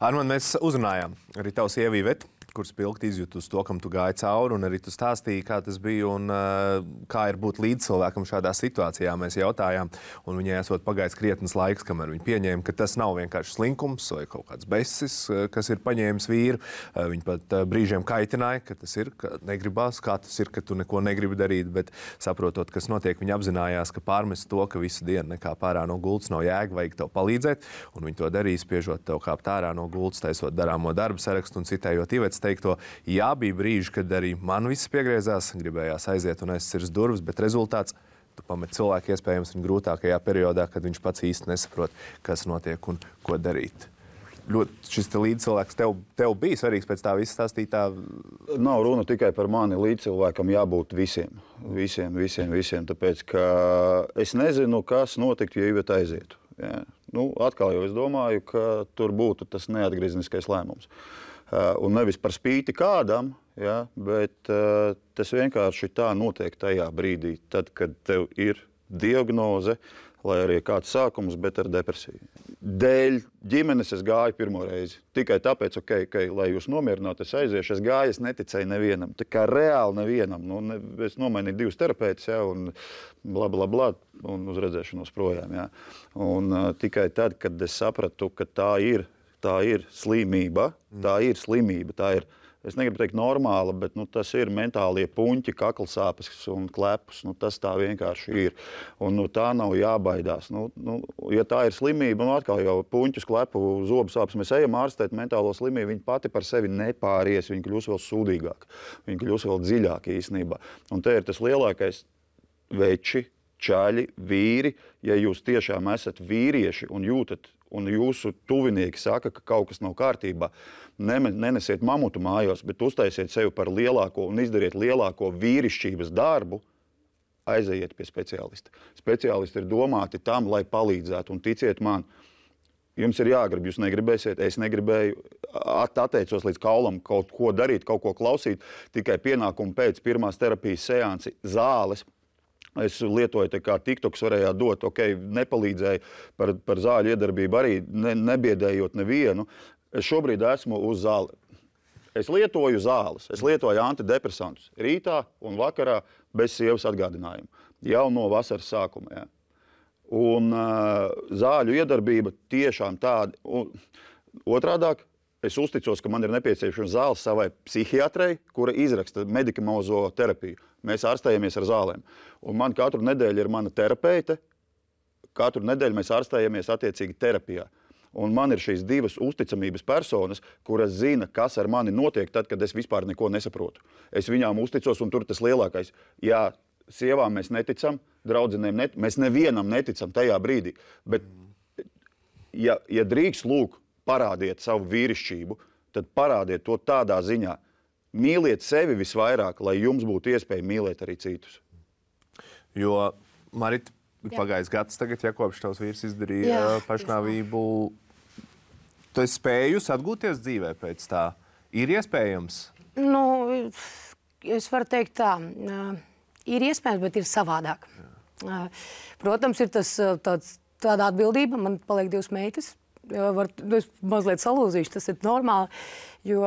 Armand, mēs uzrunājām arī tavu sievu Ivetu, kur spilgti izjūtu uz to, kam tu gāji cauri, un arī tu stāstīji, kā tas bija un uh, kā ir būt līdzcilvēkam šādā situācijā. Mēs jautājām, un viņai esot pagājis krietnes laiks, kamēr viņi pieņēma, ka tas nav vienkārši slinkums vai kaut kāds besis, kas ir paņēmis vīru. Uh, viņi pat uh, brīžiem kaitināja, ka tas ir, ka negribās, kā tas ir, ka tu neko negribi darīt, bet saprotot, kas notiek, viņi apzinājās, ka pārmest to, ka visu dienu nekā pārā no gultas nav jēga, vajag tev palīdzēt, un viņi to darīja, spiežot tev kāpt ārā no gultas, taisot darāmo darbu sarakstu un citējot Ivetes teikto. Jā, bija brīži, kad arī man viss piegriezās, gribējās aiziet un aizsirs durvis, bet rezultāts, tu pamet cilvēku iespējams viņa grūtākajā periodā, kad viņš pats īsti nesaprot, kas notiek un ko darīt. Ļoti šis te līdzcilvēks tev, tev bija svarīgs pēc tā visa stāstītā? Nav runa tikai par mani, līdzcilvēkam jābūt visiem, visiem, visiem, visiem, tāpēc, ka es nezinu, kas notiktu, ja Iveta aizietu. Jā. Nu, atkal jau es domāju, ka tur būtu tas neatgriezniskais lēmums. Uh, un nevis par spīti kādam, ja, bet uh, tas vienkārši tā notiek tajā brīdī, tad, kad tev ir diagnoze, lai arī kāds sākums, bet ar depresiju. Dēļ ģimenes es gāju pirmo reizi. Tikai tāpēc, ok, okay, lai jūs nomierinātu, es aiziešu, es gāju, es neticēju nevienam. Tā kā reāli nevienam. Nu, ne, es nomainīju divus terapeitus, ja, un bla, bla, bla, un uz redzēšanos projām. Ja. Un uh, tikai tad, kad es sapratu, ka tā ir, tā ir slimība, tā ir slimība, tā ir, es negribu teikt normāla, bet nu, tas ir mentālie puņķi, kaklsāpes un klepus. Nu, tas tā vienkārši ir. Un nu, tā nav jābaidās. Nu, nu, ja tā ir slimība, nu atkal jau puņķus, klepu, zobu sāpes, mēs ejam ārstēt mentālo slimību, viņa pati par sevi nepāries, viņa kļūs vēl sūdīgāk, viņa kļūs vēl dziļāk īstenībā. Un te ir tas lielākais veči, čaļi, vīri, ja jūs tiešām esat vīrieši un jūtat, un jūsu tuvinieki saka, ka kaut kas nav kārtībā, nenesiet mamutu mājos, bet uztaisiet sevi par lielāko un izdariet lielāko vīrišķības darbu, aizejiet pie speciālista. Speciālisti ir domāti tam, lai palīdzētu, un ticiet man, jums ir jāgrib, jūs negribēsiet, es negribēju, atteicos līdz kaulam kaut ko darīt, kaut ko klausīt, tikai pienākumu pēc pirmās terapijas seansi zāles. Es lietoju tā kā TikToks varējāt dot, ok, nepalīdzēju par, par zāļu iedarbību arī, ne, nebiedējot nevienu. Es šobrīd esmu uz zāli. Es lietoju zāles, es lietoju antidepresantus rītā un vakarā bez sievas atgādinājumu. Jau no vasaras sākuma, jā. Un uh, zāļu iedarbība tiešām tāda. Un, otrādāk, es uzticos, ka man ir nepieciešama zāles savai psihiatrei, kura izraksta medikamentozo terapiju. Mēs ārstējamies ar zālēm. Un man katru nedēļu ir mana terapeite. Katru nedēļu mēs ārstējamies attiecīgi terapijā. Un man ir šīs divas uzticamības personas, kuras zina, kas ar mani notiek tad, kad es vispār neko nesaprotu. Es viņām uzticos, un tur tas lielākais. Jā, sievām mēs neticam, draudzenēm neticam, mēs nevienam neticam tajā brīdī. Bet, ja, ja drīkst lūk, parādiet savu vīrišķību, tad parādiet to tādā ziņā. Mīliet sevi visvairāk, lai jums būtu iespēja mīlēt arī citus. Jo, Marita, pagājis gads tagad, ja kopš tavs vīrs izdarīja jā, pašnāvību, tu esi spējusi atgūties dzīvē pēc tā? Ir iespējams? Nu, es varu teikt tā, ir iespējams, bet ir savādāk. Jā. Protams, ir tas tāds, tāda atbildība, man paliek divas meitas, var, es mazliet salūzīšu, tas ir normāli, jo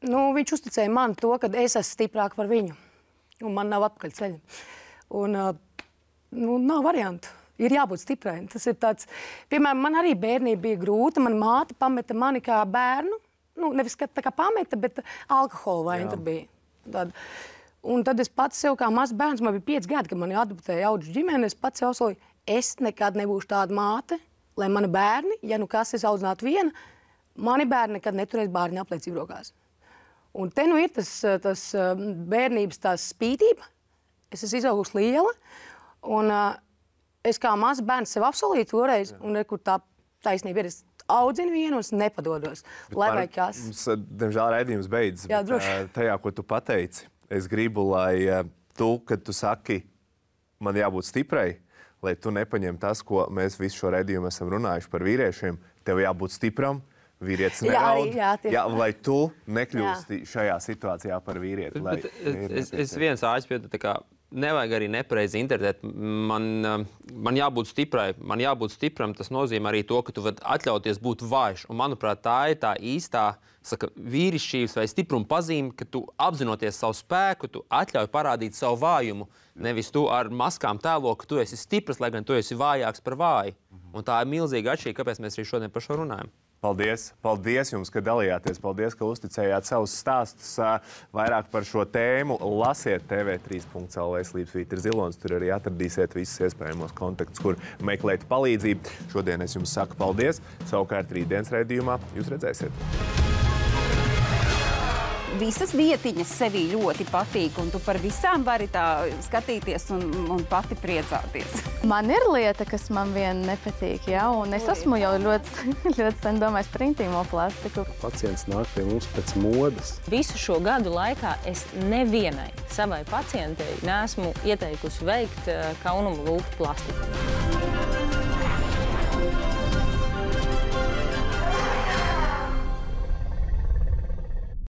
nu, viņš uzticēja man to, ka es esmu stiprāk par viņu, un man nav atpakaļceļa. Un nu, nav variantu. Ir jābūt stiprai. Tas ir tāds, piemēram, man arī bērnība bija grūta, man māte pameta mani kā bērnu, nu, nevis kā, tā kā pameta, bet alkohola vaina tur bija. Tad. Un tad es pats sev kā mazs bērns, man bija pieci gadi, kad mani adoptēja audžu ģimeni, es pats sev solīju, es nekad nebūšu tāda māte, lai mani bērni, ja nu kas es audzinātu viena, mani bērni nekad neturēs bārņa apliecību rokās. Un te nu ir tas, tas bērnības tās spītība. Es esmu izaugusi liela, un uh, es kā mazs bērns sev apsolīju toreiz, un kur tā taisnība ir, es audzinu vienu un es nepadodos. Lai vai kas. Mums, diemžēl, raidījums beidzas, Jā, bet uh, tajā, ko tu pateici, es gribu, lai uh, tu, kad tu saki, man jābūt stiprai, lai tu nepaņem tas, ko mēs visu šo raidījumu esam runājuši par vīriešiem, tev jābūt stipram, vīrietis neraud, jā, jā, jā, lai tu nekļūsti jā. Šajā situācijā par vīrieti. Lai bet, bet, es, es viens āķis, tā kā nevajag arī nepareizi interpretēt. Man, man jābūt stiprai, man jābūt stipram, tas nozīmē arī to, ka tu vari atļauties būt vājš. Un, manuprāt, tā ir tā īstā saka, vīrišķības vai stipruma pazīme, ka tu apzinoties savu spēku, tu atļauj parādīt savu vājumu. Nevis tu ar maskām tēlo, ka tu esi stiprs, lai gan tu esi vājāks par vāju. Un tā ir milzīga atšķirība, kāpēc mēs arī šodien par šo runājam. Paldies! Paldies jums, ka dalījāties. Paldies, ka uzticējāt savus stāstus vairāk par šo tēmu. Lasiet T V trīs punkts L V slīpsvītra zilonis. Tur arī atradīsiet visus iespējamos kontaktus, kur meklēt palīdzību. Šodien es jums saku paldies. Savukārt rītdienas raidījumā jūs redzēsiet. Visas vietiņas sevī ļoti patīk, un tu par visām vari tā skatīties un, un pati priecāties. Man ir lieta, kas man vien nepatīk, ja? Un es esmu jau ļoti, ļoti sen domājis par intīmo plastiku. Pacients nāk pie mums pēc modes. Visu šo gadu laikā es nevienai savai pacientei neesmu ieteikusi veikt kaunumu lūpu plastiku.